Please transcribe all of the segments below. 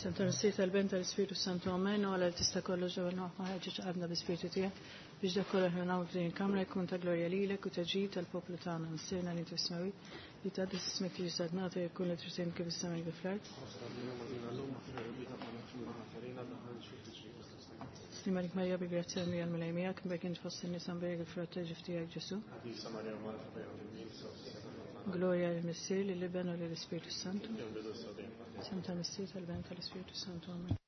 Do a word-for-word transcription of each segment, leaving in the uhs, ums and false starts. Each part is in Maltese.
Santa Missier tal-Ben tal-Ispiritu Santu Amen u għala tista' kollox ġewwa noħma ħeġġeġ qalbna bi-Spiritu tiegħek biex dak kollu aħna nagħmlu f'din il-kamra jkun ta' glorja lilek u ta' ġid tal-poplu tagħna. Missierna li inti fis-smewwiet, li tgħaddi ismek tiġi saltnata jkun li trid kif is-sema kif fl-art. Slim għalik Marija bi grazzja l-Mulej Mulej miegħek, mbagħad int fost in-nisa mbierek il-frott ta' ġuf tiegħek Ġesu. Gloria lill-Missier, lill-Iben u lill-Ispiritu Santu. Santa Missier tal-Ben tal-Ispiritu Santu. Amen.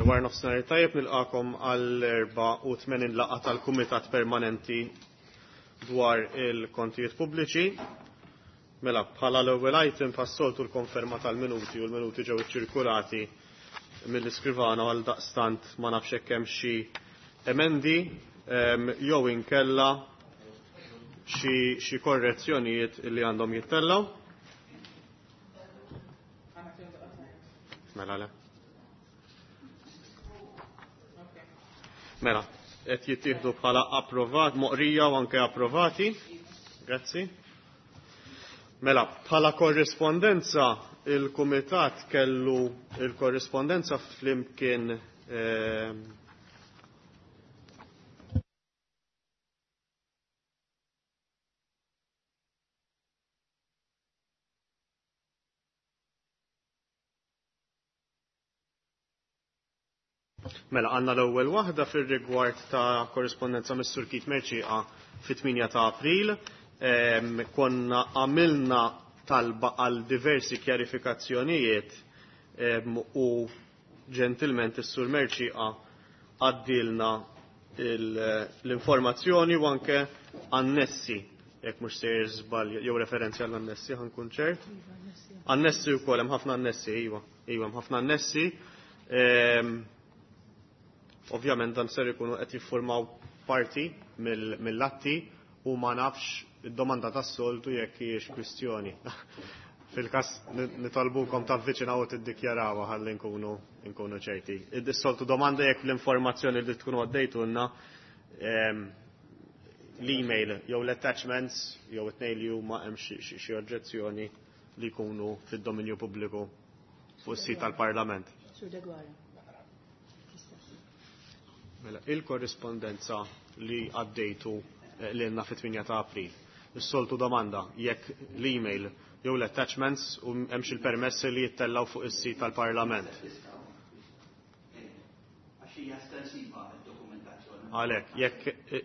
Wara nofsinhar tajjeb nilqakom għall erba' u tmenin laqgħa tal-Kumitat Permanenti dwar il-kontijiet pubbliċi. Mela, bħala l-ewwel item passoltu l-konferma tal-minuti u l-minuti ġew iċċirkulati mill-iskrivana għal daqstant ma nafx hekk hemm xi emendi jew inkella xi korrezzjonijiet li għandhom jittellgħu. Mela le. Mela, qed jittieħdu bħala approvat, moqrija u anke approvati. Grazzi. Mela, bħala korrispondenza il-Kumitat kellu il-korrispondenza flimkien eh, Mela, għanna l-ewwel waħda fir-rigward ta' korrispondenza mis-Sur Keith Mercieca fit-tmienja ta' April. Ehm, konna għamilna talba għal diversi kjarifikazzjonijiet ehm, u ġentilment is-Sur Mercieca għaddilna l-informazzjoni u anke annessi, jekk mhux sejjer żball jew referenzi għall annessi ħankun ċert. Annessi wkoll hemm ħafna annessi, iva, iva hemm ħafna annessi. Ehm, Ovvjament dan ser ikunu qed jiffurmaw parti mill-atti u ma nafx id-domanda tas-soltu jekk hijiex kwistjoni. Fil-każ nitolbukom tavviċinaw u tiddikjarawha ħalli nkunu nkunu ċerti. Is-soltu domanda jekk l-informazzjoni li tkunu għaddejtulna l-email jew l-attachments jew it-tnejn li huma hemm xi oġġezzjoni li jkunu fid-dominju pubbliku fuq is-sit tal-Parlament. Mela, il-korrispondenza li għaddejtu lilna fit-tmienja ta' April. Is-soltu domanda jekk l-email jew l-attachments u hemmx il-permessi li jittellaw fuq is-sit tal-Parlament. Għalhekk, jekk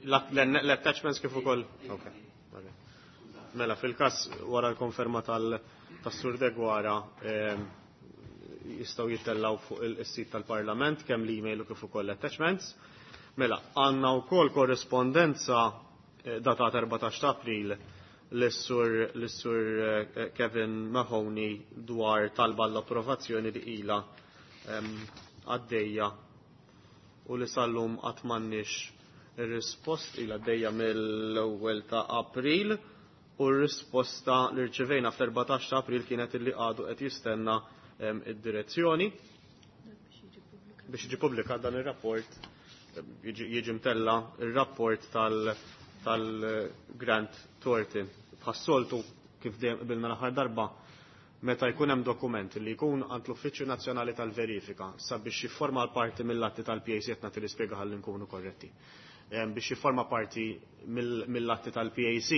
l-attachments kif ukoll. Okay. Mela, fil-każ wara l-konferma tas-Sur Degwara jistgħu jittellaw fuq is-sit tal-Parlament kemm l-email u kif ukoll l-attachments. Mela, għandna wkoll korrispondenza datata erbatax ta' April lis-sur lis-sur Kevin Mahoney dwar talba l-approvazzjoni li ilha għaddejja u li sal-lum qatt m'għandniex ir-rispost ilha għaddejja mill-ewwel ta' April u r-risposta li rċevejna fl-erbatax ta' April kienet illi għadu qed jistenna id-direzzjoni biex jiġi pubblikat dan ir-rapport, jiġi mtella ir-rapport tal-Grant Thornton. Bħas-soltu kif dejjem qbilna l-aħħar darba, meta jkun hemm dokument li jkun għand l-Uffiċċju Nazzjonali tal-Verifika sabiex jifforma l-parti mill-atti tal-P A C qed nagħti l-ispjega ħalli nkunu korretti. Biex jifforma parti mill-atti tal-P A C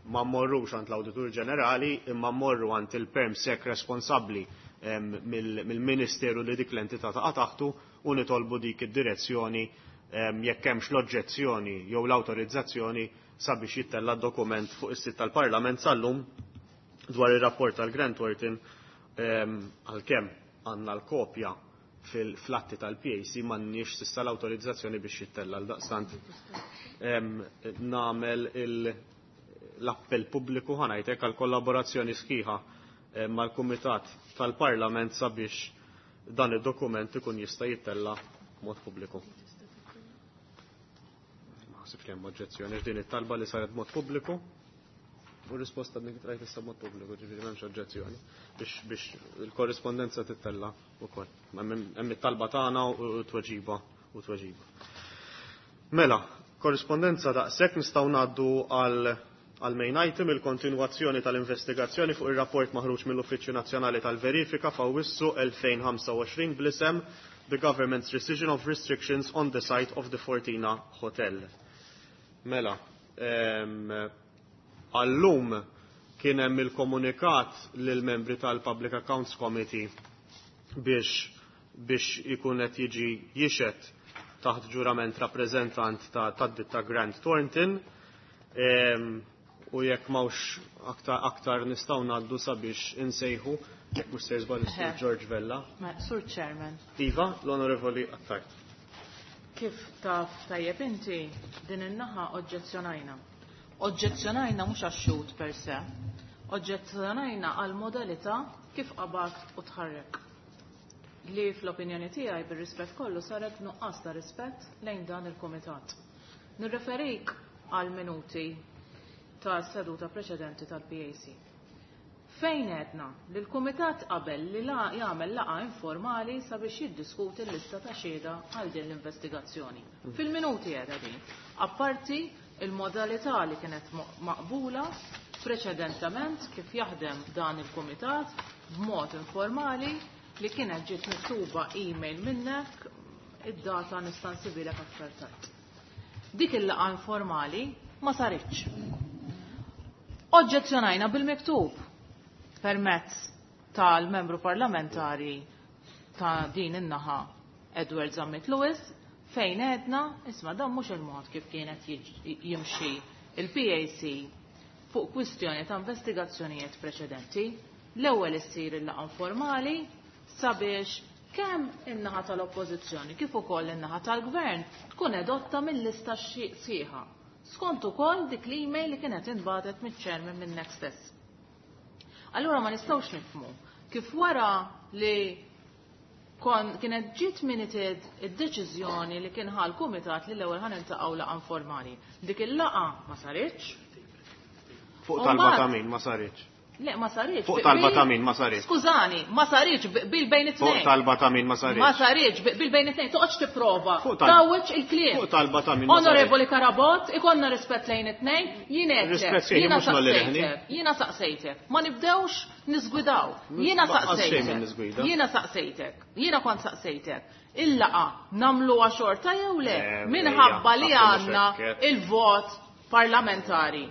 ma mmorrux għand l-Awditur Ġenerali imma mmorru għand il-perm sek responsabbli mill-Ministeru li dik l-entità taqa' taħtu u nitolbu dik id-direzzjoni jekk hemmx l-oġġezzjoni jew l-awtorizzazzjoni sabiex jittella dokument fuq is-sit tal-Parlament sal-lum dwar ir-rapport tal-Grant Thornton għalkemm għandna l-kopja fil-flatti tal-P A C m'għandniex s'issa l-awtorizzazzjoni biex jittella l daqstant nagħmel l-appell pubbliku ħanajtek għal kollaborazzjoni sħiħa mal-Kumitat tal-Parlament sabiex dan id-dokument ikun jista' jittella mod pubbliku. Ma ħsibx li hemm oġġezzjoni x'din it-talba li saret mod pubbliku u risposta dik trajt issa mod pubbliku, ġifieri m'hemmx oġġezzjoni biex, biex il-korrispondenza tittella wkoll. Hemm it-talba tagħna u tweġiba u tweġiba. Mela, korrispondenza daqshekk nistgħu ngħaddu għal għal main item il-kontinwazzjoni tal-investigazzjoni fuq ir-rapport maħruġ mill-Uffiċċju Nazzjonali tal-Verifika f'Awwissu elfejn ħamsa u għoxrin bl-isem The Government's Rescission of Restrictions on the Site of the Fortina Hotel. Mela, għallum kien hemm il-komunikat lill-membri tal-Public Accounts Committee biex biex ikun qed jiġi jixed taħt ġurament rappreżentant ta' tad-ditta Grant Thornton. U jekk m'hawnx aktar, aktar nistgħu ngħaddu sabiex insejħu jekk mhux se żball is-Sur George Vella. Sur Chairman. Iva, l-Onorevoli Attard. Kif taf tajjeb inti din in-naħa oġġezzjonajna. Oġġezzjonajna mhux għax-xhud per se, oġġezzjonajna għal modalità kif qabad u tħarrek. Li fl-opinjoni tiegħi bir-rispett kollu saret nuqqas ta' rispett lejn dan il-kumitat. Nirreferik għal minuti ta' seduta preċedenti tal-P A C. Fejn għedna li l-kumitat qabel li la jagħmel laqgħa informali sabiex jiddiskuti l-lista ta' xhieda għal din l-investigazzjoni. Fil-minuti għedha din. Apparti il-modalità li kienet maqbula preċedentament kif jaħdem dan il-kumitat b'mod informali li kienet ġiet miktuba email minnek, id-data nista' nsibilek aktar tard. Dik il-laqgħa informali ma saritx. Oġġezzjonajna bil-miktub permezz tal-membru parlamentari ta' din in-naħa Edward Zammit Lewis fejn għedna isma' dan mhux il-mod kif kienet jimxi il-P A C fuq kwistjoni ta' investigazzjonijiet preċedenti. L-ewwel issir il-laqgħa informali sabiex kemm in-naħa tal-Oppożizzjoni kif ukoll in-naħa tal-Gvern tkun edotta mill-lista sħiħa. Skont ukoll dik l-email li kienet intbagħtet miċ-chairman minnek stess. Allura ma nistgħux nifhmu kif wara li kon kienet ġiet minuted id-deċiżjoni li kien ħal kumitat li l-ewwel ħa niltaqgħu laqgħa informali. Dik il-laqgħa ma saritx. Fuq talba ta' min ma saritx. Le, ma saritx. Fuq talba ta' min ma saritx. Skużani, ma saritx bil bejn it-tnejn. Fuq talba ta' min ma saritx. Ma saritx bil bejn it-tnejn, toqgħodx tipprova. Fuq talba. Tawweġ il-kliem. Fuq talba ta' min ma saritx. Onorevoli Carabott, ikonna rispett lejn it-tnejn, jien għedtlek, Rispett xejn, jiena mhux nolli leħni. saqsejtek, jiena saqsejtek. Ma nibdewx niżgwidaw. Jiena Ma qas xejn saqsejtek. minn niżgwida. Jiena saqsejtek. Jiena kont saqsejtek. Il-laqa nagħmluha xorta jew le? Eh, Minħabba li ejja, għandna xekket. il-vot parlamentari.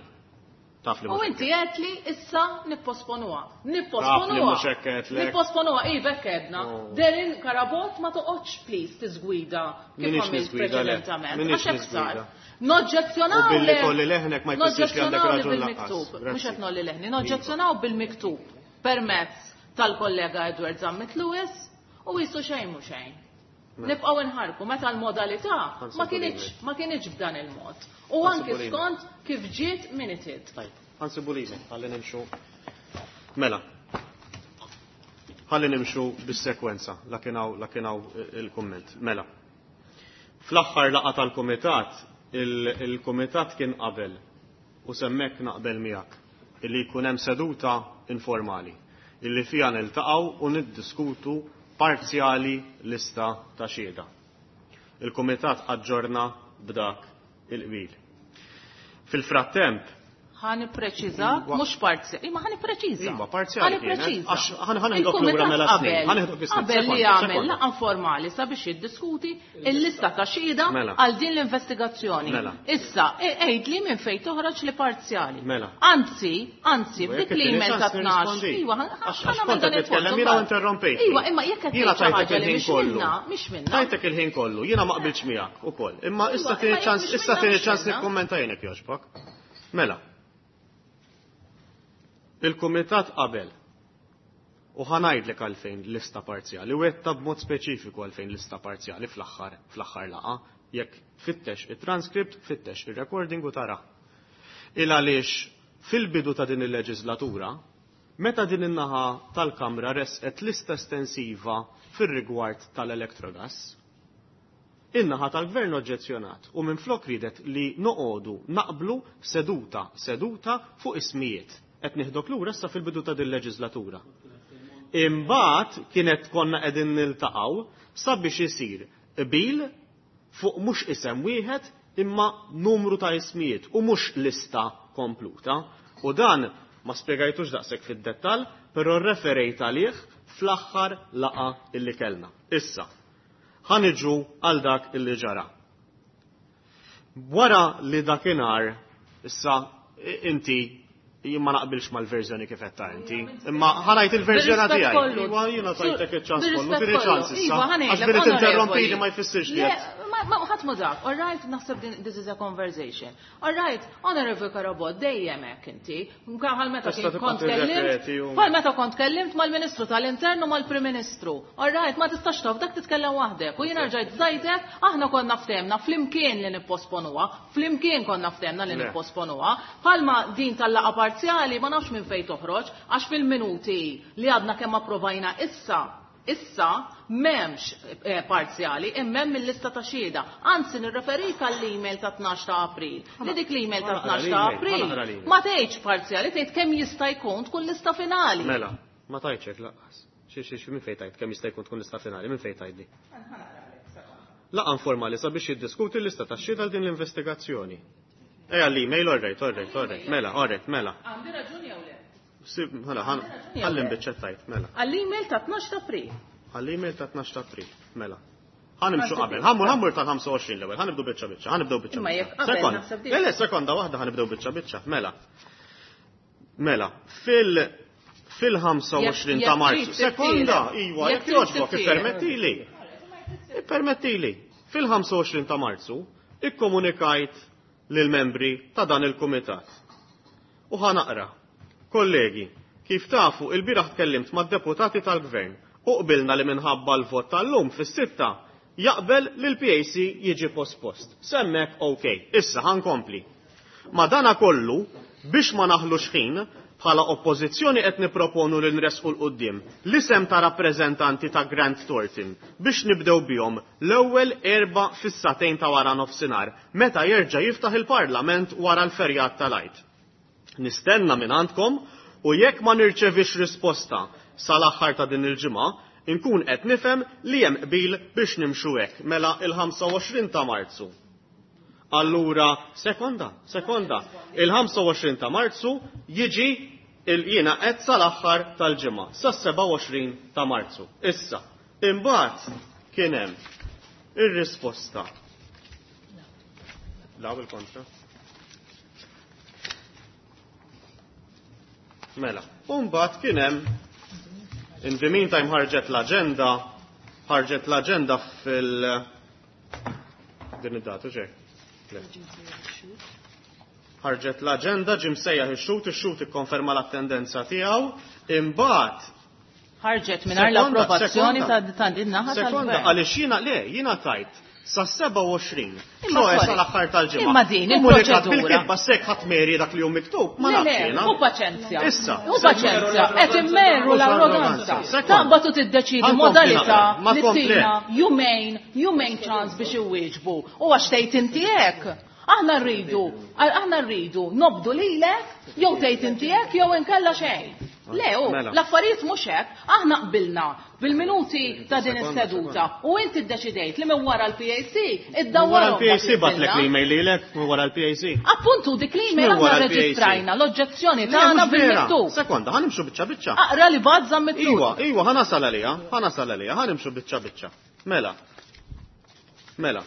Taf li U mhux inti hekk. għedt li issa nipposponuha. Taf li Nipposponuha. mhux hekk għedt lek. Nipposponuha, iva hekk għedna. Oh. Darren Carabott ma toqgħodx please tiżgwida kif Minix għamilt niżgwida, le. preċedentament. Minix Għax hekk sar. niżgwida. Noġġezzjonaw U billi le- tolli leħnek ma jfissirx li għandek noġġezzjonaw li raġun lanqas. bil-miktub. Grazzi. Mhux qed nolli leħni, noġġezzjonaw bil-miktub permezz tal-kollega Edward Zammit Lewis u jisu xejn mhu xejn. Mela. Nibqgħu nħarku meta l-modalità Ħansibu ma kienx lilek. ma kienx b'dan il-mod. U Ħansibu anki lilek. skont kif ġiet minuted. Tajb, ħansibu lilek, ħalli nimxu. Mela. Ħalli nimxu bis-sekwenza, la kien hawn, la kien hawn il-kumment. Mela. Fl-aħħar laqgħa tal-kumitat, il-, il-kumitat kien qabel u semmek naqbel miegħek illi jkun hemm seduta informali illi fiha niltaqgħu u niddiskutu parzjali lista ta' xhieda. Il-kumitat aġġorna b'dak il-qbil. Fil-frattemp Ħa nippreċiża, Iwa. mhux parzjali. Imma ħa nippreċiża. Iva, parzjali Ħa kienet. nippreċiża. Għax ħa ħa nieħdok lura Il-kumitat mela snin. qabel Ħa nieħdok is-snin. qabel li Sekonda, jagħmel sekonda. laqgħa informali sabiex jiddiskuti il-lista ta' xhieda Mela. għal din l-investigazzjoni. Mela. Issa, e-, għid li minn fejn toħroġ li parzjali. Mela. Anzi, anzi, Iva, f'dik jekk l-email it-tieni ta' ċans tnax. nirrispondi. Iva, ħa- Għax- ħa għax nagħmel kont dan qed nitkellem il-punt jiena u imbagħad. interrompejtni. Iva, imma jekk qed Jiena tgħid xi tajtek ħaġa li il-ħin mhix kollu. minna, mhix minna. Tajtek il-ħin kollu, jiena ma qbilx miegħek ukoll. Imma Iva, issa imma tieni jekk ċans, mhix issa minna, tieni mhix ċans minna. nikkummenta jien jekk jogħġbok. Mela. Il-kumitat qabel u ħanajdlek għalfejn lista parzjali u għedta b'mod speċifiku għalfejn lista parzjali fl-aħħar, fl-aħħar laqa, jekk fittex it-transkript, fittex ir-recording u tara. Il għaliex fil-bidu ta' din il-leġislatura, meta din in-naħa tal-Kamra resqet lista estensiva fir-rigward tal-Electrogas, in-naħa tal-Gvern oġġezzjonat u minflok ridet li noqogħdu naqblu seduta seduta fuq ismijiet. Qed nieħdok lura issa fil-bidu ta' din il-leġislatura. Imbagħad kienet konna qegħdin niltaqgħu sabiex isir qbil fuq mhux isem wieħed imma numru ta' ismijiet u mhux lista kompluta. U dan ma spjegajtux daqshekk fid-dettall, però referejt għalih fl-aħħar laqa illi kellna. Issa, ħa niġu għal dak illi ġara. Wara li dakinhar, issa inti jien ma naqbilx mal-verżjoni kif qed ta' inti, imma ħa ngħid il-verżjoni tiegħi. Iva jiena tajtek iċ-ċans kollu, tini ċans issa. Għax billi tinterrompini ma jfissirx li qed. Ma ħadd ma dak, all right, naħseb this is a conversation. All right, Honorable Carabott, dejjem hekk inti. Bħal meta kont kellimt, bħal meta kont kellimt mal-Ministru tal-Internu mal-Prim Ministru. All right, ma tistax taf dak titkellem waħdek. U jiena rġajt żajtek, aħna konna ftehmna flimkien li nipposponuha, flimkien konna ftehmna li nipposponuha. Bħalma din tal-laqgħa parzjali ma nafx minn fejn toħroġ, għax fil-minuti li għadna kemm approvajna issa, issa m'hemmx parzjali, imma il-lista ta' xhieda. Anzi nirreferik għall-email ta' tnax ta' April. Li dik l-email ta' tnax ta' April ma tgħidx parzjali, tgħid kemm jista' jkun tkun lista finali. Mela, ma tgħidx hekk lanqas. Xi xi minn fejn tgħid kemm jista' jkun tkun lista finali, minn fejn tgħidli? Laqgħa informali sabiex jiddiskuti l-lista ta' xhieda għal din l-investigazzjoni. Ejja l-email, all right, all right, all right, mela, all right, mela. Għandi raġuni jew le? Mela, ħalli nbiċċa tajt, mela. Għall-email ta' tnax ta' April. Għall-email ta' tnax ta' April, mela. Ħa nimxu qabel, ħammur ħammur tal-ħamsa u għoxrin l-ewwel, ħa nibdew biċċa biċċa, ħa nibdew biċċa biċċa. Le, le, sekonda waħda ħa nibdew biċċa biċċa, mela. Mela, fil fil-ħamsa u għoxrin ta' Marzu. Sekonda, iwa, jekk jogħġbok, ippermettili. Ippermettili. Fil-ħamsa u għoxrin ta' Marzu, ikkomunikajt lill-membri ta' dan il-kumitat. U ħa naqra. Kollegi, kif tafu, il-bieraħ tkellimt mad-deputati tal-gvern u qbilna li minħabba l-vot tal-lum fis-sitta jaqbel li l-P A C jiġi pospost. Semmek ok, issa ħankompli. Ma dana kollu, biex ma naħlux ħin, bħala oppożizzjoni qed niproponu li nresqu l-qudiem l-isem ta' rappreżentanti ta' Grant Thornton biex nibdew bihom l-ewwel erba' fis-satejn ta' wara nofsinhar meta jerġa' jiftaħ il-Parlament wara l-ferjat tal-Għid. Nistenna minn għandkom u jekk ma nirċevix risposta sal-aħħar ta' din il-ġimgħa, inkun qed nifhem li hemm qbil biex nimxu hekk mela il-ħamsa u għoxrin ta' Marzu. Allura, sekonda, sekonda, il-ħamsa u għoxrin ta' Marzu jiġi il-jiena qed sal-aħħar tal-ġimgħa, sas-seba' u għoxrin ta' Marzu. Issa, imbagħad kien hemm ir-risposta. Law il-kontra. Mela, u mbagħad kien hemm in the meantime ħarġet l-aġenda, ħarġet l-aġenda fil din id-data ġej. Ħarġet l-aġenda, ġie msejjaħ ix-xhud, ix-xhud ikkonferma l-attendenza tiegħu, imbagħad ħarġet mingħajr l-approvazzjoni ta' din naħa tal-gvern. Sekonda, għaliex jiena le, jiena tajt sa seba' u għoxrin. Ċoħe sal-aħħar tal-ġimgħa. Imma din il-proċedura. Bil-kitba sekk ħadd meri dak li hu miktub, ma nafx jiena. U paċenzja. Issa. U paċenzja, qed immerru l-arroganza. Taqbad u tiddeċidi modalità li tina jumejn, jumejn ċans biex iwieġbu. U għax tgħid inti hekk. Aħna rridu, aħna rridu nobdu lilek, jew tgħid inti hekk jew inkella xejn. Le, u l-affarijiet mhux hekk, aħna qbilna bil-minuti ta' din is-seduta u inti ddeċidejt li minn wara l-P A C iddawwarhom. Wara l-P A C batlek l-email lilek minn wara l-P A C. Appuntu dik l-email aħna reġistrajna l-oġġezzjoni tagħna bil-miktub. Sekonda, ħa nimxu biċċa biċċa. Aqra li bad żamm Iwa, iwa, ħa nasal għaliha, ħa nasal għaliha, ħa nimxu biċċa biċċa. Mela. Mela.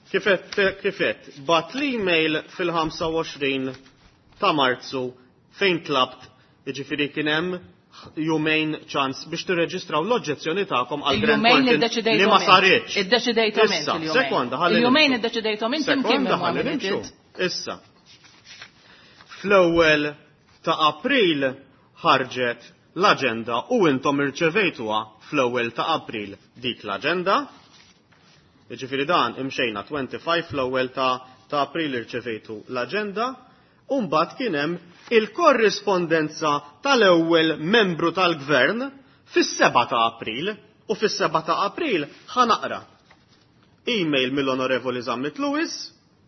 Kifet, kifet, bat l-email fil-ħamsa u għoxrin ta' Marzu fejn tlabt, jiġifieri kien hemm jumejn ċans biex tirreġistraw l-oġġezzjoni tagħkom għal Grant Thornton li ma saritx. Iddeċidejthom inti l-jumejn. Sekonda, ħalli Il-jumejn iddeċidejthom inti mkien Sekonda, ħalli nimxu. Issa. Fl-ewwel ta' April ħarġet l-aġenda u intom irċevejtuha fl-ewwel ta' April dik l-aġenda. Jiġifieri dan imxejna twenty-five fl-ewwel ta' ta' April irċevejtu l-aġenda. U mbagħad kien hemm il-korrispondenza tal-ewwel membru tal-gvern fis-seba' ta' April u fis-seba' ta' April ħa naqra email mill-Onorevoli Zammit Lewis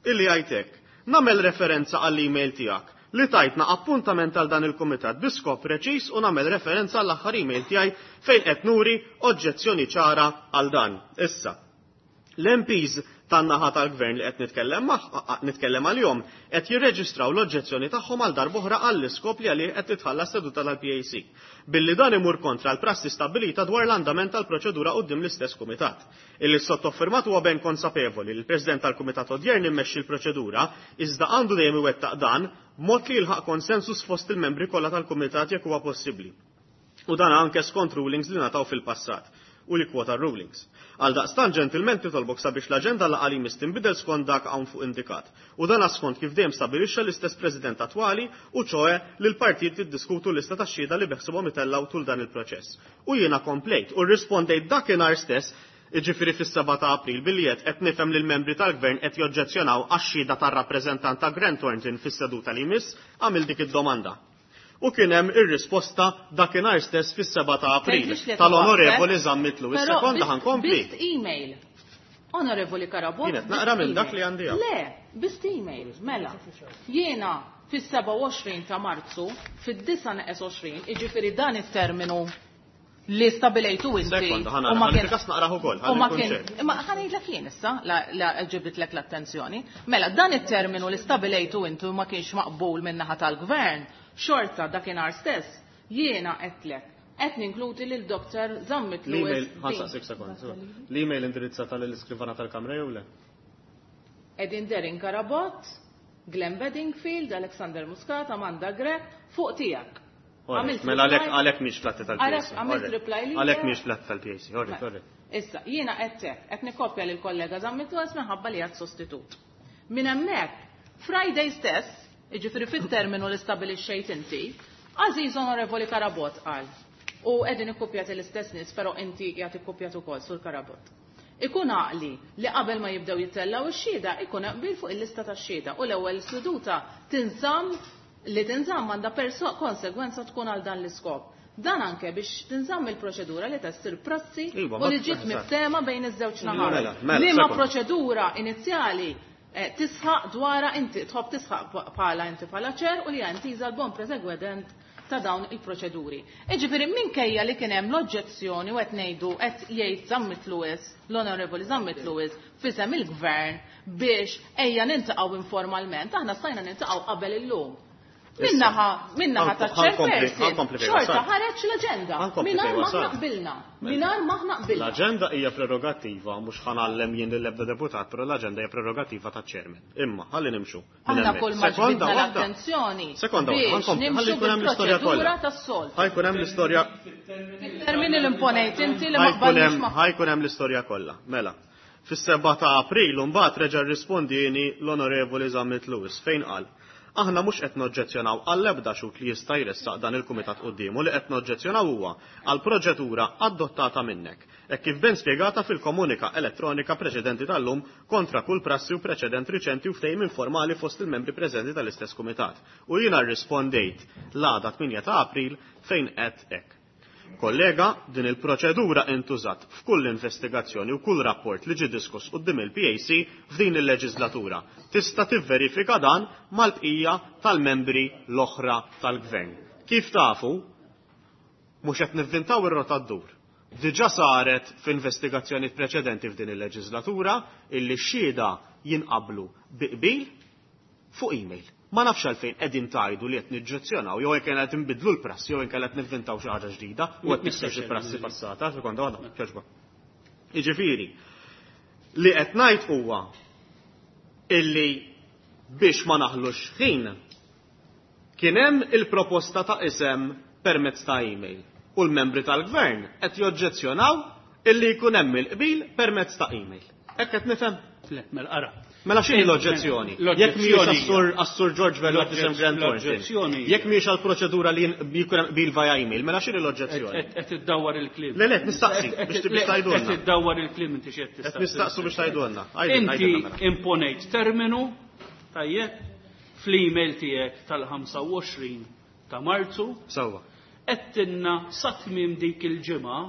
illi jgħidlek nagħmel referenza għall-email tiegħek li tajtna appuntament għal dan il-kumitat bi skop preċiż u nagħmel referenza għall-aħħar email tiegħi fejn qed nuri oġġezzjoni ċara għal dan. Issa, l-M Ps tan-naħa tal-gvern li qed nitkellem nitkellem għalihom qed jirreġistraw l-oġġezzjoni tagħhom għal darb'oħra għall-iskop li għalih qed titħallas seduta tal-P A C. Billi dan imur kontra l-prassi stabbilita dwar l-andament tal-proċedura quddiem l-istess kumitat. Illi s-sottofirmat huwa ben konsapevoli li l-President tal-Kumitat odjern immexxi l-proċedura, iżda għandu dejjem iwettaq dan b'mod li jilħaq konsensus fost il-membri kollha tal-kumitat jekk huwa possibbli. U dan anke skont rulings li ngħataw fil-passat u li kwota rulings. Għal daqstan ġentilment nitolbok sabiex l-aġenda laqgħa li tinbidel skont dak hawn fuq indikat. U dan skont kif dejjem stabilixxa l-istess President attwali u ċoe li l-partit jiddiskutu l-lista ta' xhieda li beħsibhom itellaw tul dan il-proċess. U jiena komplejt u rrispondejt dakinhar stess, iġifieri fis-seba ta' April, billi qed qed nifhem li l-membri tal-gvern qed joġġezzjonaw għax-xhieda tar-rappreżentant ta' Grant Thornton fis-seduta li jmiss, għamil dik id-domanda. U kien hemm ir-risposta dakinhar stess fis-seba ta' April Tgħidlix li tal-Onorevoli Zammit Lewis. Però Sekonda, bist- ħa nkompli. Bist email. Onorevoli Carabott. Jien qed naqra bist minn dak email. li għandi hawn. Le, bist email, mela. Jiena fis-sebgħa u għoxrin ta' Marzu, fid-disgħa neqes għoxrin, iġifieri dan it-terminu li stabilejtu inti. Sekonda, ħa u nara, ma ħalli kien- fil-każ naqrah ukoll, u ħalli ma nkun kien, ċert. imma ħa ngħidlek jien issa, la, la ġibitlek l-attenzjoni. Mela, dan it-terminu li stabilejtu intu ma kienx maqbul min-naħa tal-gvern, xorta dakinhar stess, jiena għedtlek, qed ninkludi lil Doktor Zammit L-email, Lewis. ħa nsaqsik sekond. L-email indirizzata lill-iskrivana tal-Kamra jew le? Edin Derin Carabott, Glenn Bedingfield, Alexander Muscat, Amanda Grech, fuq tiegħek. Għamilt Mela għalhekk reply- għalhekk mhix fl-atti tal-P A C. Għalhekk għamilt reply lilek. Għalhekk mhix fl-atti tal-P A C. Alright, alright. Issa, jiena qed qed nikopja lil kollega Zammit Lewis minħabba li għad sostitut. Minn hemmhekk, Friday stess, jiġifieri fit-terminu li stabilixxejt inti, Aziz Onorevoli Carabott qal, u qegħdin ikkupjati l-istess nies, però inti qiegħed ikkupjat ukoll sur Carabott. Ikun għaqli li qabel ma jibdew jittellaw ix-xhieda ikun qbil fuq il-lista tax-xhieda u l-ewwel seduta tinżamm li tinżamm għandha perso konsegwenza tkun għal dan l-iskop. Dan anke biex tinżamm il-proċedura li tessir prassi Iva, u ma- li ġiet eżatt. miftema bejn iż-żewġ naħat. Mela, mela, Liema sekonda. proċedura inizjali eh, tisħaq dwara inti tħobb tisħaq bħala inti bħala chair u li hija intiża l-bon proseguiment ta' dawn il-proċeduri. Iġifieri minkejja li kien hemm l-oġġezzjoni u qed ngħidu qed jgħid Zammit Lewis, l-Onorevoli Zammit Lewis fisem il-gvern biex ejja nintaqgħu informalment, aħna stajna nintaqgħu qabel illum. Minnaħa, minnaħa ta' Ħa nkompli, chairperson, ħa nkompli fejn xorta wasalt. ħareġ l-aġenda. Ħa nkompli Mingħajr fejn ma wasalt. aħna qbilna. Mingħajr ma aħna qbilna. L-aġenda hija prerogattiva, mhux ħa ngħallem jien lill-ebda deputat, però l-aġenda hija prerogattiva taċ-chairman. Imma ħalli nimxu minn Aħna hemmhekk. kull ma Sekonda ġbidna waħda. l-attenzjoni Sekonda waħda, biex ħa nkompli, ħalli nimxu jkun hemm l-istorja bil-proċedura kollha. tas-soltu. Ħa jkun hemm l-istorja Termini l-imponejt inti li ma ħa jkun qbalniex hemm ma' ħa jkun hemm l-istorja kollha. Mela. Fis-seba ta' April mbagħad reġa' rrispondieni l-Onorevoli Zammit Lewis fejn qal: "Aħna mhux qed noġġezzjonaw għall-ebda xhud li jista' jressaq dan il-kumitat quddiemu, li qed noġġezzjonaw huwa għal proċedura adottata minnek. Hekk kif ben spjegata fil-komunika elettronika preċedenti tal-lum kontra kull prassi u preċedent riċenti u ftehim informali fost il-membri preżenti tal-istess kumitat." U jiena rrispondejt l-għada tmienja ta' April fejn qed hekk: "Kollega, din il-proċedura intużat f'kull investigazzjoni u kull rapport li ġi diskuss quddiem il-P A C f'din il-leġislatura. Tista' tivverifika dan mal-bqija tal-membri l-oħra tal-gvern. Kif tafu, mhux qed nivvintaw ir-rota ddur. Diġà saret f'investigazzjoni preċedenti f'din il-leġislatura illi x-xhieda jinqablu bi qbil fuq email. Ma nafx għalfejn qegħdin tgħidu li qed niġġezzjonaw jew jekk qed inbidlu l-prassi jew inkella qed nivvintaw xi ħaġa ġdida u qed nikser xi prassi passata, sekonda waħda, kieġba. Jiġifieri, li qed ngħid huwa illi biex ma naħlux ħin kien hemm il-proposta ta' isem permezz ta' email u l-membri tal-gvern qed joġġezzjonaw illi jkun hemm il-qbil permezz ta' email. Hekk qed nifhem?" Le, mela ara. Mela x'inhi l-oġġezzjoni? Jekk mhijiex għas-sur għas-sur George Vella fisem Grant Thornton. L-oġġezzjoni Jekk mhijiex għall-proċedura li jkun hemm qbil via email, mela x'inhi l-oġġezzjoni? Qed iddawwar il-kliem. Le, le, nistaqsi biex biex tgħidulna. Qed iddawwar il-kliem inti x'qed Qed tistaqsi. nistaqsu biex tgħidulna. Għidilna, Inti għidilna mela. imponejt terminu, tajjeb, fl-email tiegħek tal-ħamsa u għoxrin ta' Marzu, Sewwa. għedtilna sa tmiem dik il-ġimgħa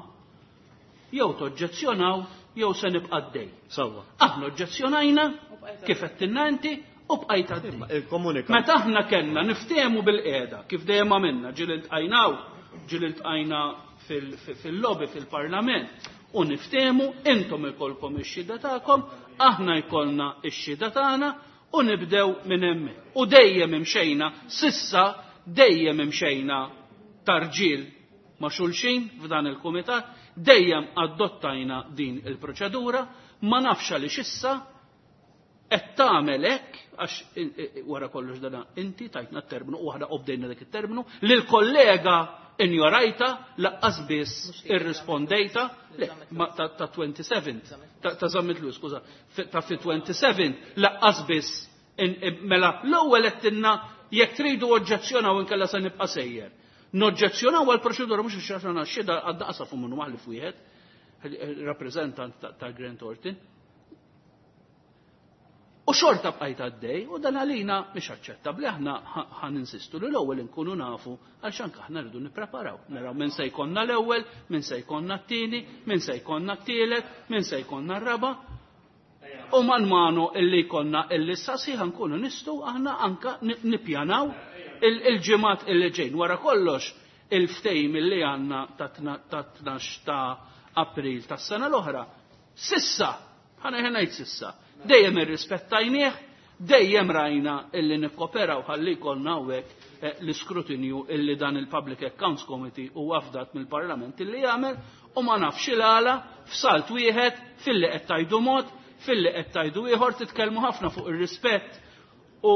jew toġġezzjonaw jew se nibqa' għaddej. Sewwa. Aħna oġġezzjonajna kif għedtilna inti u bqajt għaddej. Il-komunika. Meta aħna kellna niftehmu bil-qiegħda kif dejjem għamilna, ġieli ltqajnaw, ġieli ltqajna fil-lobby fil-Parlament u niftehmu, intom ikolkom ix-xhieda tagħkom, aħna jkollna x-xhieda tagħna u nibdew minn hemmhekk. U dejjem imxejna, sissa dejjem imxejna tarġiel ma' xulxin f'dan il-kumitat, dejjem adottajna din il-proċedura, ma nafx għaliex issa qed tagħmel hekk għax wara kollox dana inti tajtna t-terminu u aħna obdejna dak it-terminu lil kollega injorajta laqqas biss irrispondejta le ta' twenty-seventh ta' Zammit Lewis, skuża, ta' fi twenty-seventh laqqas biss mela l-ewwel qed tinna jekk tridu oġġezzjonaw inkella se nibqa' sejjer. Noġġezzjonaw għall-proċedura mhux għax aħna xhieda għadda qasafu minnu maħlif wieħed, rappreżentant ta' Grant Thornton. U xorta bqajt għaddej, u dan għalina mhix aċċettabbli, aħna ħan insistu li l-ewwel inkunu nafu għaliex anke aħna rridu nippreparaw. Naraw min se jkollna l-ewwel, min se jkollna t-tieni, min se jkollna t-tielet, min se jkollna r-raba'. U man manu illi jkollna il-lista sħiħa nkunu nistgħu aħna anka nippjanaw il-ġimgħat illi ġejn. Wara kollox il-ftehim illi għandna ta' tnax ta' April tas-sena l-oħra. Sissa, ħana ngħid sissa, dejjem irrispettajnieh, dejjem rajna illi nikkoperaw ħalli jkollna hawnhekk l-iskrutinju illi dan il-Public Accounts Committee huwa afdat mill-Parlament illi jagħmel, u ma nafx il-għala f'salt wieħed filli qed tajdu mod, filli qed tajdu ieħor, titkellmu ħafna fuq ir-rispett u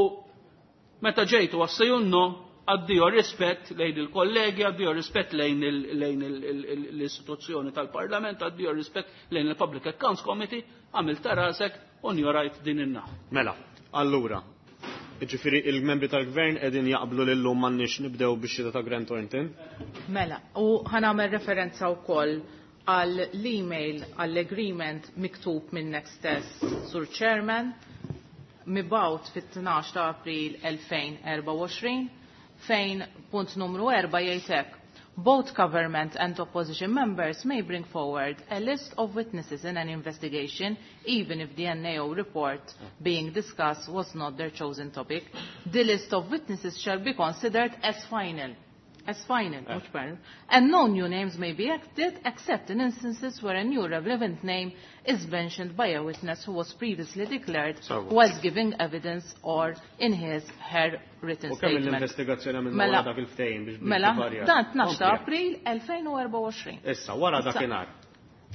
meta ġejtu għas-sejunno addio rispett lejn il-kollegi, addio rispett lejn l-istituzzjoni tal-Parlament, addio rispett lejn il-Public Accounts Committee, għamilt ta' rasek u njorajt din in-naħa. Mela, allura, ġifieri il-membri tal-gvern qegħdin jaqblu lil lum m'għandniex nibdew bix-xhieda ta' Grant Thornton? Mela, u ħanagħmel referenza wkoll għall email għall-agreement miktub minnek stess, Sur Chairman, mibgħut fit-tnax ta' April elfejn erbgħa u għoxrin, fejn punt numru erba' jgħid hekk. Both government and opposition members may bring forward a list of witnesses in an investigation, even if the N A O report being discussed was not their chosen topic. The list of witnesses shall be considered as final. As final, mhux final. And no new names may be added except in instances where a new relevant name is mentioned by a witness who was previously declared whilst giving evidence or in his her written U kemm statement. l-investigazzjoni għamilna Mela, wara dak il-ftehim biex mela, biex dan tnax ta' Kompli. April elfejn u erbgħa u għoxrin. Issa, wara Issa. dakinhar.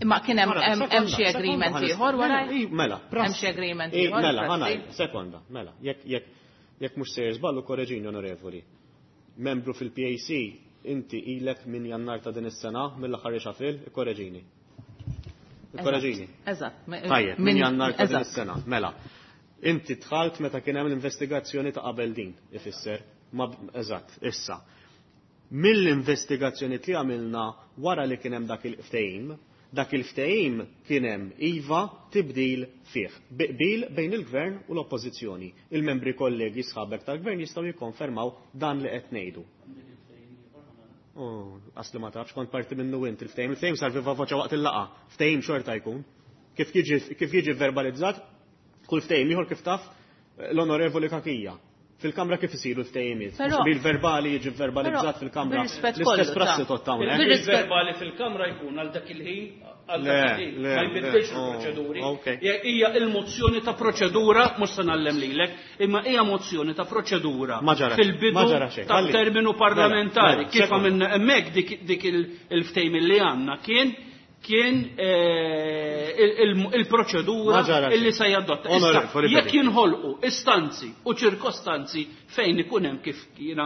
Imma kien hemm Wara, hemm sekonda, hemm xi sekonda, agreement ħanis- ieħor wara? Mela, i, mela, Hemm xi agreement I, ieħor, mela, prassi? ħanaj, sekonda, mela, jekk jekk jekk mhux sejjer żballu korreġini onorevoli. Membru fil-P A C, inti ilek minn Jannar ta' din is-sena, mill-aħħar ixafil, ikkorreġini. Ikkorreġini. Eżatt. Tajjeb, minn Jannar ta' din eżatt. is-sena, mela. Inti dħalt meta kien hemm l-investigazzjoni ta' qabel din, ifisser, ma b-, eżatt, issa. Mill-investigazzjoni li għamilna wara li kien hemm dak il-ftehim, dak il-ftehim kien hemm iva tibdil fih, qbil bejn il-gvern u l-oppożizzjoni. Il-membri kollegi sħabek tal-gvern jistgħu jikkonfermaw dan li qed ngħidu. Oh, asli ma tafx, kont parti minnu int il-ftehim. Il-ftehim sar viva voċa waqt il-laqa. Ftehim xorta jkun. Kif jiġi, kif jiġi verbalizzat, kull ftehim ieħor kif taf l-onorevoli Cachia. Fil-kamra kif isiru l-ftehimiet? Però Bil-verbali jiġi verbalizzat Però fil-kamra. bir-rispett L-istess kollu, prassi ta' tot hawnhekk. Bir-rispett Il-verbali fil-kamra jkun għal dak il-ħin, għal Le, dak il-ħin. le, Ma jbiddilx le, oh, il-proċeduri. ok. Hija il-mozzjoni ta' proċedura, mhux se ngħallem lilek, imma hija mozzjoni ta' proċedura Ma ġara xejn, fil-bidu ma ġara xejn. ta' Ħalli. terminu Mela, parlamentari. mela, Kif sekonda. għamilna hemmhekk dik, dik il-, il-ftehim li għandna kien kien, eh, il-, il-, il-proċedura Ma ġara xejn. illi se jadotta. Issa, Onorevoli jekk Felipe. jinħolqu istanzi u ċirkostanzi fejn ikun hemm kif jiena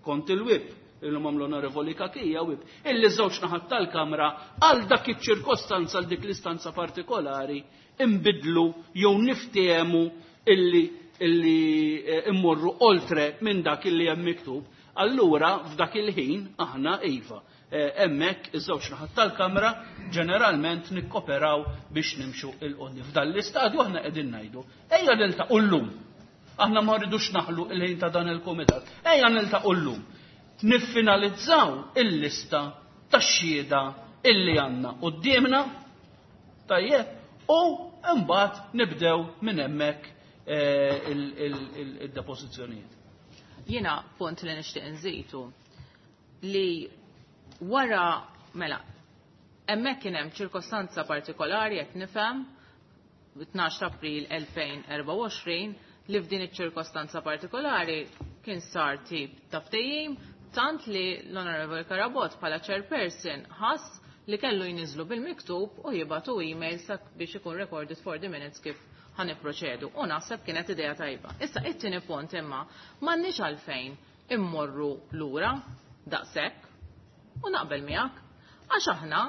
kont il-whip, illum għamlu onorevoli Cachia whip, illi żewġ naħat tal-kamra għal dak iċ-ċirkostanza, għal dik l-istanza partikolari, imbidlu jew niftehmu illi, illi, eh, immorru oltre minn dak illi hemm miktub. Allura f'dak il-ħin aħna iva. Eh, hemmhekk iż-żewġ naħat tal-kamra ġeneralment nikkoperaw biex nimxu il-qudiem. F'dan l-istadju aħna qegħdin ngħidu, ejja niltaqgħu llum. Aħna ma rridux naħlu il-ħin ta' dan il-kumitat. Ejja niltaqgħu llum. Niffinalizzaw il-lista tax-xhieda illi għandna quddiemna, tajjeb, u mbagħad nibdew minn hemmhekk, eh, il-, il-, il-, il-depożizzjonijiet. Jiena punt li nixtieq nżidu li wara, mela, Hemmhekk kien hemm ċirkostanza partikolari qed nifhem tnax ta' April elfejn erbgħa u għoxrin li f'din iċ-ċirkostanza partikolari kien sar tip ta' ftehim tant li l-Honorable Carabott bħala chairperson ħass li kellu jniżlu bil-miktub u jibatu email biex ikun recorded for the minutes kif ħaniproċedu. U naħseb kienet idea tajba. Issa it-tieni punt imma m'għandniex għalfejn immorru lura daqshekk u naqbel miegħek għax aħna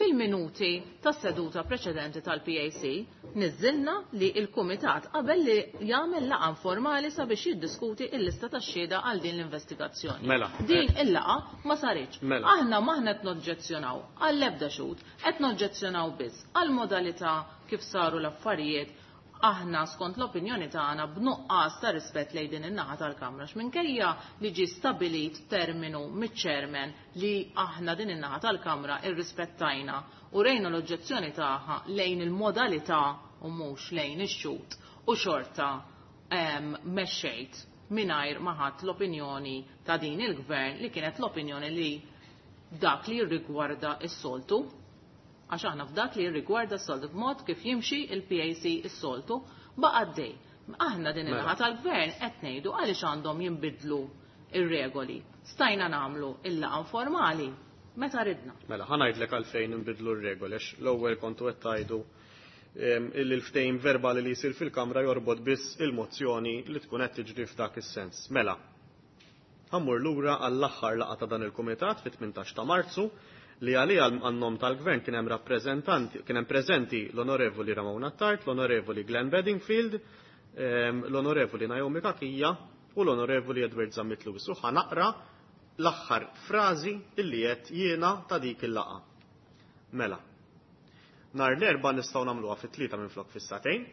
fil-minuti tas-seduta preċedenti tal-P A C niżilna li il-Kumitat qabel li jagħmel laqgħa informali sabiex jiddiskuti l-lista tax-xhieda għal din l-investigazzjoni. Mela. Din il-laqgħa ma saritx. Mela. Aħna m'aħna qed noġġezzjonaw għall-ebda xhud, qed noġġezzjonaw biss għall-modalità kif saru l-affarijiet. Aħna skont l-opinjoni tagħna b'nuqqas ta' rispett lejn din in-naħa tal-Kamra x'minkejja li ġie stabilit terminu miċ-chairman li aħna din in-naħa tal-Kamra irrispettajna u rejna l-oġġezzjoni tagħha lejn il-modalità u mhux lejn ix-xhud u xorta, ehm, mexxejt mingħajr ma ħadd l-opinjoni ta' din il-gvern li kienet l-opinjoni li dak li jirrigwarda s-soltu. Għax aħna f'dak li jirrigwarda s-soltu b'mod kif jimxi il-P A C s-soltu baqa' għaddej. Aħna din Mela. il-naħa tal-gvern qed ngħidu għaliex għandhom jinbidlu ir-regoli. Stajna nagħmlu il-laqgħa informali meta ridna. Mela, ħa ngħidlek għalfejn inbidlu r-regoli, għax l-ewwel kontu qed tgħidu, ehm, illi l-ftehim verbali li jsir fil-Kamra jorbot biss il-mozzjoni li tkun qed tiġri f'dak is-sens. Mela, ħammur lura għall-aħħar laqgħa ta' dan il-Kumitat fit-tmintax ta' Marzu li għalija għan-nom tal-Gvern kien hemm rappreżentanti, kien hemm preżenti l-Onorevoli Ramona Attard, l-Onorevoli Glenn Bedingfield, ehm, l-Onorevoli Naomi Cachia u l-Onorevoli Edward Zammit Lewis. U ħa naqra l-aħħar frażi illi qed jiena ta' dik il-laqgħa. Mela, nhar l-Erbgħa nistgħu nagħmluha fit-tlieta minflok fis-sagħtejn,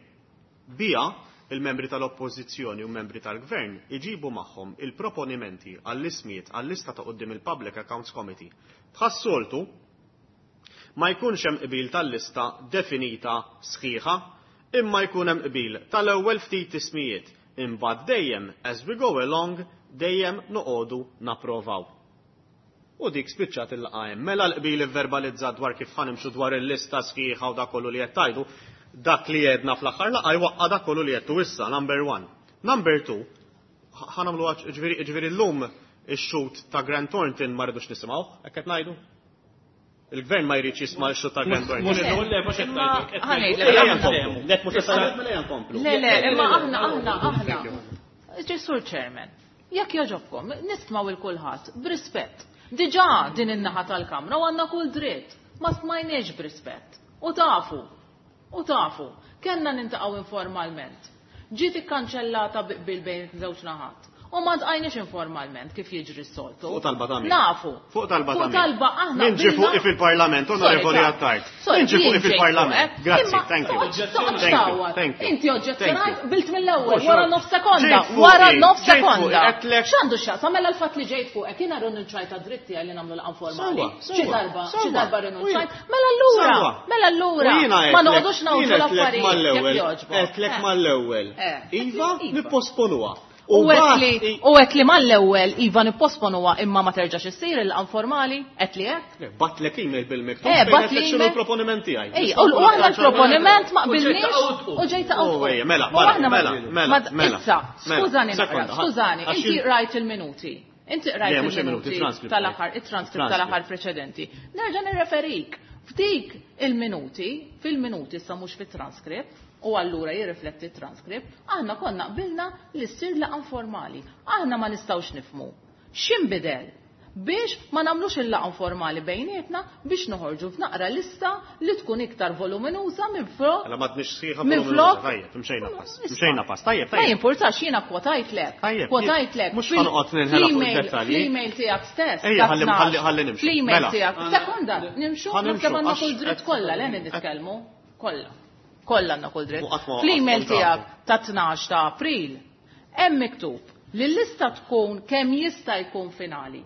bija il-membri tal-Oppożizzjoni u membri tal-Gvern iġibu magħhom il-proponimenti għall-ismijiet għall-lista ta' quddiem il-Public Accounts Committee. Bħas-soltu ma jkunx hemm qbil tal-lista definita sħiħa, imma jkun hemm qbil tal-ewwel ftit ismijiet. Imbagħad dejjem as we go along dejjem noqogħdu napprovaw. U dik spiċċat il-laqgħa hemm. Mela l-qbil ivverbalizzat dwar kif ħanimxu dwar il-lista sħiħa u dak kollu li qed tgħidu, dak li għedna fl-aħħar laqgħa jwaqqa' dak kollu li għedtu issa, number one. Number two, ħanamlu għax, ġifieri, ġifieri llum ix-xhud ta' Grant Thornton ma rridux nisimgħu, hekk qed ngħidu? Il-gvern ma jridx jisma' x-xhud ta' Grant Thornton. Mhux le, le, mhux qed Imma ngħidu, qed ħa ngħidu. ngħidlek, Ejja aħna. nkomplu. Le, mhux qed ngħidu, mela ejja nkomplu. Le, le, imma aħna, aħna, aħna. Thank you. Ġesur Chairman, jekk jogħġobkom, nismaw il-kulħadd b'rispett. Diġà din in-naħa tal-Kamra u għandna kull dritt, ma smajniex b'rispett. U tafu, u tafu, kellna nintaqgħu informalment. Ġiet ikkanċellata bi qbil bejn żewġ naħat. U ma ntqajniex informalment kif jiġri s-soltu. Fuq talba ta' min? Nafu. Fuq talba ta' Fuq min? talba aħna Min ġie qbilna- fuqi fil-Parlament, Sorry, Onorevoli ta' Attard. Sorry, Min ġie fuqi jien ġejt fil-Parlament. fuqek. Grazzi, Imma thank you. toqgħodx Thank you, tawwat. thank you. Inti oġġezzjonajt, Thank you. bilt mill-ewwel, Mhux wara hekk. nofs sekonda, Ġejt fuqi, wara nofs ġejt fuqi, sekonda. għedtlek- X'għandu x'jaqsam mela l-fatt li ġejt fuqek, jiena rinunċajt għad-dritti għalli nagħmlu laqgħa informali. Sewwa, Xi sewwa, darba, xi sewwa. darba rinunċajt. U Mela allura, Sewwa. mela allura, U jiena ma għedtlek- noqogħdux nagħmlu jiena għedtlek l-affarijiet jekk mal-ewwel, jogħġbok. għedtlek Eh. mal-ewwel. Eh. Iva, Iva. nipposponuha. U U għet li, bat- u għet li mal-ewwel Iva nipposponuha imma ma terġax issir il-laqgħa informali, għet li hekk? Le, batlek email bil-miktub Eh, fejn bat għedtlek li x'inhu email. l-proponiment tiegħi. Ej, u u aħna l-proponiment ma U ġejt qbilniex out. u ġejt out. Oh, ejja, mela, U mela, aħna ma- mela, mela, ma- mela, Issa, mela, skużani naqra, sekonda, skużani, għax inti il- rajt il-minuti. Inti rajt Le, mhux il-minuti, il-minuti transcript. tal-aħħar, il-transcript Transcript. tal-aħħar preċedenti. Nerġa' nirreferik. F'dik il-minuti, fil-minuti sa mhux fit-transcript, u allura jirrifletti t-transcript, aħna konna qbilna li ssir laqgħa informali. Aħna ma nistgħux nifhmu. X'inbidel? Biex ma nagħmlux il-laqgħa informali bejnietna biex noħorġu f'naqra lista li tkun iktar voluminuża minn flok. Mela ma tnix sħiħa Minn voluminuża. flok. Tajjeb, imxejna pass. Isma'. Imxejna pass. Tajjeb, Ma tajjeb. jimpurtax jiena kwotajtlek. Tajjeb, Kwotajtlek. mhux Fil- ħanoqgħod ninħela fuq fl-email- id-dettalji. Fl-email tiegħek stess. Ejja, ta' ħalli- tnax. ħalli- ħalli nimxu. Fl-email Mela. tiegħek. Sekonda, nimxu, Ħanimxu, naħseb għandna għax kull dritt qed- kollha, le nitkellmu. Kollha. Kollha għandna kull dritt. U qatt ma Fl-email waqaf tiegħek ta' tnax ta' April hemm miktub li l-lista tkun kemm jista' jkun finali.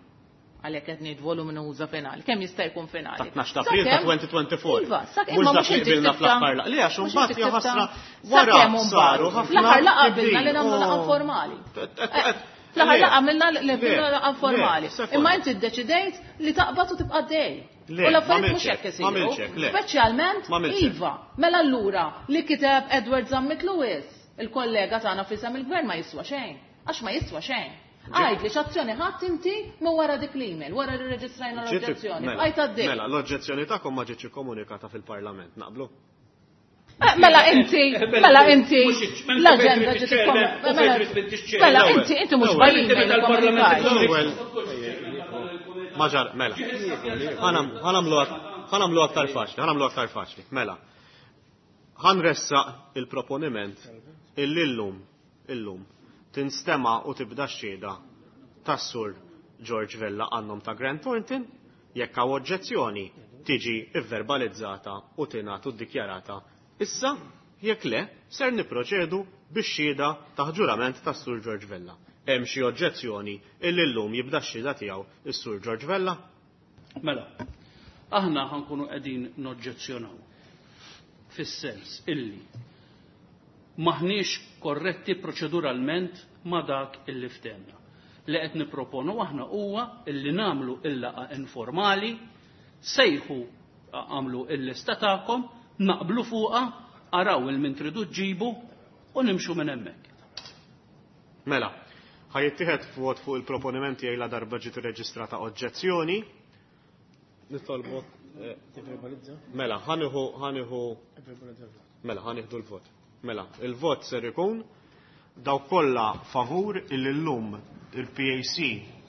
Għalhekk qed ngħid voluminuża finali, kemm jista' jkun finali. Ta' tnax ta' April ta' Sakemm- twenty twenty-four. Iva, sakemm Mhux imma dak mhux li inti qbilna ktibta- fl-aħħar laqgħa. Le, għax mhux imbagħad inti hija ktibta- ħasra wara sakemm imbagħad. saru ħafna Fl-aħħar laqgħa tibdil. qbilna li nagħmlu laqgħa Oh. formali. Qed- qed- Fl-aħħar laqgħa għamilna laqgħa informali. Imma inti ddeċidejt li taqbad u tibqa' dej. U l-affarijiet mhux hekk isiru. Speċjalment iva, mela allura li kiteb Edward Zammit Lewis, il-kollega tagħna f'isem il-gvern ma jiswa xejn. Għax ma jiswa xejn. Għajd li x'azzjoni ħadd inti ma wara dik l-email, wara li rreġistrajna l-oġġezzjoni. Bqajt għaddej. Mela, l-oġġezzjoni tagħkom ma ġietx ikkomunikata fil-Parlament, naqblu? Mela inti, mela inti, l-agenda ġiet Mela inti, inti mhux bajjin. Maġar, mela. Ħanamlu aktar faċli, ħanamlu aktar faċli. Mela. Ħanressaq il-proponiment illum, illum, tinstema u tibda x-xhieda tas-sur George Vella għannom ta' Grant Thornton, jekk hawn oġġezzjoni tiġi ivverbalizzata u tingħat u ddikjarata. Issa, jekk le, ser niproċedu bix-xhieda ta' ġurament tas-sur George Vella. Hemm xi oġġezzjoni illi llum jibda x-xhieda tiegħu is-sur George Vella? Mela, aħna ħankunu qegħdin noġġezzjonaw fis-sens illi maħniex korretti proċeduralment ma dak illi ftehmna. Li qed nipproponu aħna huwa illi nagħmlu il-laqgħa informali, sejħu għamlu il-lista tagħkom, naqblu fuqha, araw il-min tridu ġibu u nimxu minn hemmhekk. Mela, ħajittieħed vot fuq il-proponimenti la darba ġiet irreġistrata oġġezzjoni. Nitolbok. Mela, ħaniħu ħaniħu Mela, ħaniħdu l-vot. Mela, il-vot ser ikun daw kollha favur illi llum il-P A C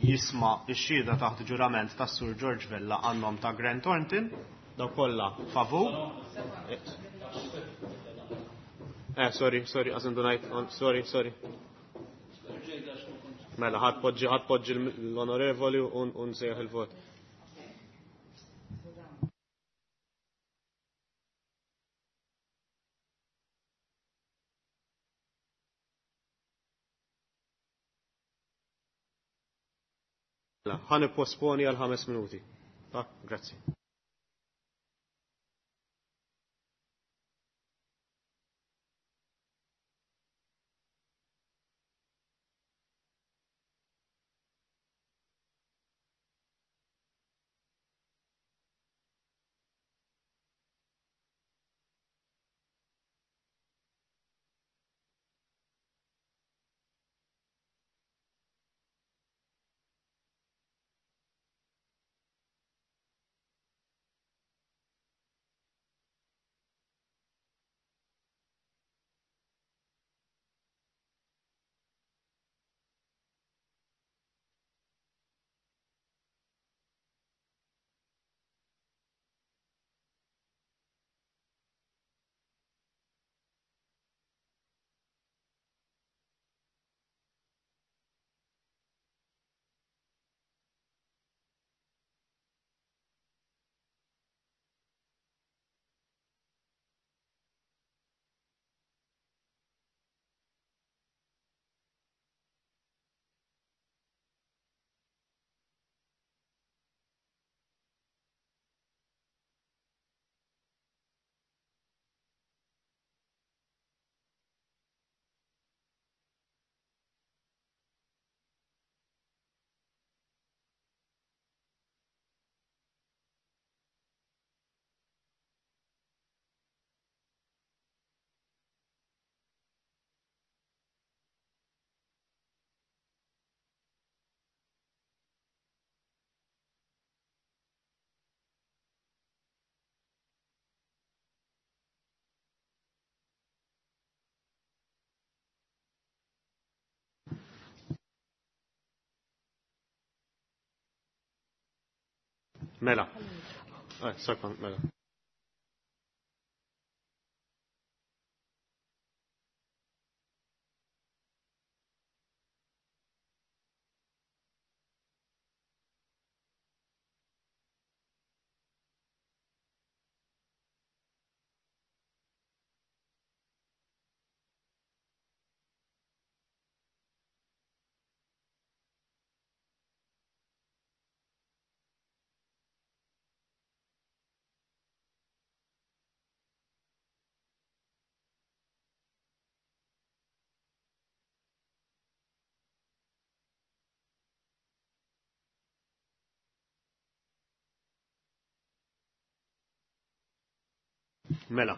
jisma' x-xhieda taħt ġurament tas-Sur George Vella għannom ta' Grant Thornton, daw kollha favur. Eh, sorry, sorry, għażin dunajt, sorry, sorry. Mela, ħadd poġġi, ħadd poġġi l-onorevoli u nsejjaħ il-vot. Ħa nipposponi għal ħames minuti. Ah, grazzi. Mela. Eh, sekond, mela. Mela,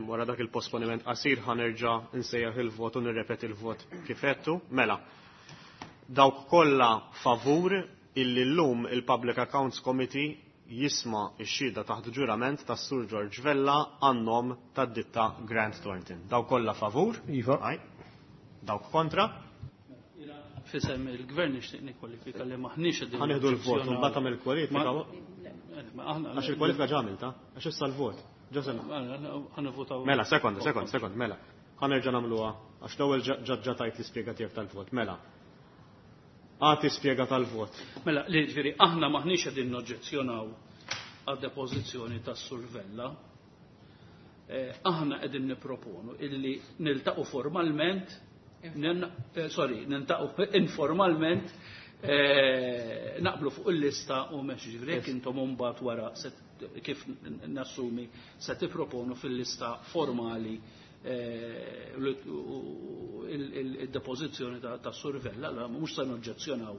wara dak il-posponiment qasir ħanerġa' nsejjaħ il-vot u nirrepeti il-vot kif għedtu. Mela, dawk kollha favur illi llum il-Public Accounts Committee jisma' x-xhieda taħt ġurament tas-Sur George Vella għan-nom tad-ditta Grant Thornton. Dawk kollha favur? Iva. Aj. Dawk kontra? Fisem il-gvern nixtieq nikkwalifika li maħniex qegħdin. Ħanieħdu l-vot u mbagħad tagħmel kwalifika. Għax il-kwalifika ġamilta, għax issa l-vot. Ġasem. Ħanivvutaw. Mela, sekonda, sekonda, sekonda, mela. Ħanerġa' nagħmluha għax l-ewwel ġa tajt l-ispjega tiegħek tal-vot. Mela. Agħti spjega tal-vot. Mela, li ġifieri aħna maħniex qegħdin noġġezzjonaw għad-depożizzjoni tas-Sur Vella. Aħna qegħdin nipproponu illi niltaqgħu formalment, sorry, niltaqgħu informalment, naqblu fuq il-lista u mex ġifieri jekk intom mbagħad wara kif nassumi se tipproponu fil-lista formali il-depożizzjoni tas-Sur Vella, allora mhux se noġġezzjonaw.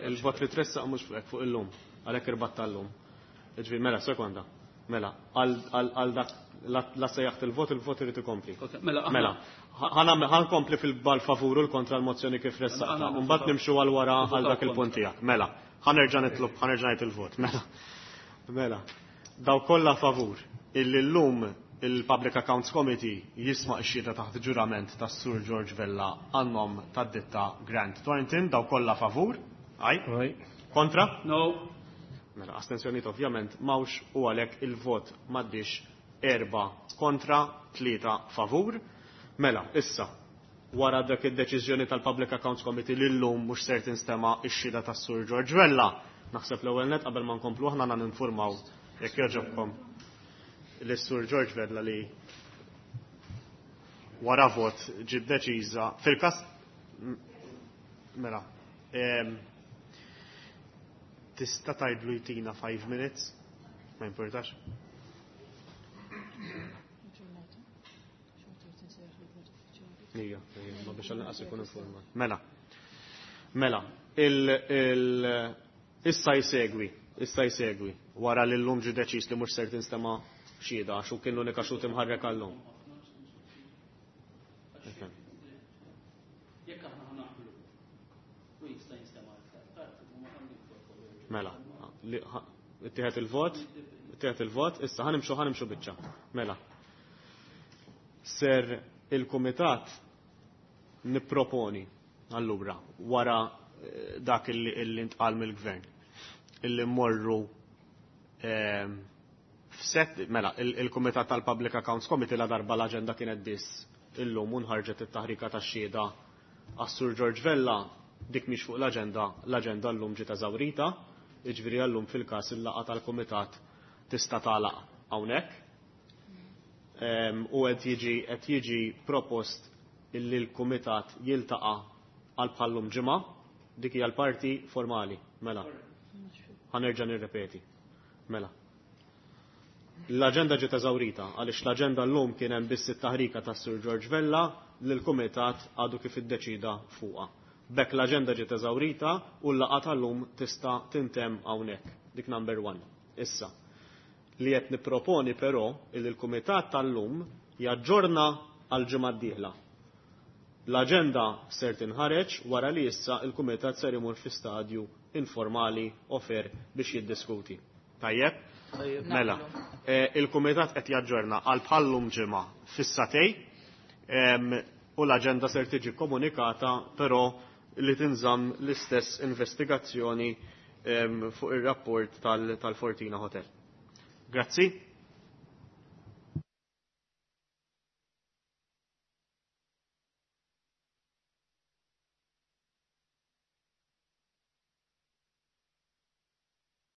Il-vot li tressaq mhux fuq fuq illum, għalhekk irbatt tal-lum. Ġifieri mela sekonda. Mela, għal dak la sejjaħt il-vot, il-vot irid ikompli. Mela, ħankompli fil-bal favur u l-kontra l-mozzjoni kif ressaqta. Mbagħad nimxu għal wara għal dak il-punt tiegħek. Mela, ħanerġa' nitlob, ħanerġa' ngħid il-vot. Mela. Mela. Daw kollha favur illi llum il-Public Accounts Committee jisma' x-xhieda taħt ġurament tas-Sur George Vella għan-nom tad-ditta Grant Thornton, daw kollha favur. Aj. Kontra? No. Mela, astensjonijiet ovvjament mawx u għalhekk il-vot m'għaddix erba' kontra, tlieta favur. Mela, issa, wara dak id-deċiżjoni tal-Public Accounts Committee li llum mhux ser tinstema' x-xhieda tas-Sur George Vella. Naħseb l-ewwel net qabel ma nkomplu aħna għandna ninfurmaw jekk jogħġobkom lis-Sur George Vella li wara vot ġiet deċiża fil-każ mela tista' tgħidlu jtina five minutes, ma importax. Ija, ma biex għal-inqas ikun informat. Mela, mela, il, il, issa jsegwi, issa jsegwi, wara li llum ġie deċiż li mhux ser tinstema' xhieda għax hu kien l-unika xhud imħarrek għallum. Mela, ittieħed il-vot, ittieħed il-vot, issa ħanimxu ħanimxu biċċa. Mela. Ser il-kumitat nipproponi allura wara dak illi ntqal mill-gvern illi mmorru f'set, mela, il-Kumitat tal-Public Accounts Committee la darba l-aġenda kienet biss illum u nħarġet it-taħrika tax-xhieda għas-Sur George Vella, dik mhix fuq l-aġenda, l-aġenda llum ġiet eżawrita, jiġifieri llum fil-każ il-laqgħa tal-Kumitat tista' tagħlaq hawnhekk. U qed jiġi qed jiġi propost illi l-Kumitat jiltaqa' għal bħallum ġimgħa, dik hija l-parti formali, mela. Ħanerġa' nirrepeti. Mela. L-aġenda ġiet eżawrita għaliex l-aġenda llum kien hemm biss it-taħrika tas-Sur George Vella li l-Kumitat għadu kif iddeċida fuqha. B'hekk l-aġenda ġiet eżawrita u l-laqgħa tal-lum tista' tintemm hawnhekk. Dik number one. Issa, li qed nipproponi però li l-Kumitat tal-lum jaġġorna għal ġimgħa d-dieħla. L-aġenda ser tinħareġ wara li issa il-Kumitat ser imur fi stadju informali ofer biex jiddiskuti. Tajjeb? Mela, il-Kumitat qed jaġġorna għal bħallum ġimgħa fis-satej u l-aġenda ser tiġi komunikata però li tinżamm l-istess investigazzjoni fuq ir-rapport tal-Fortina Hotel. Grazzi.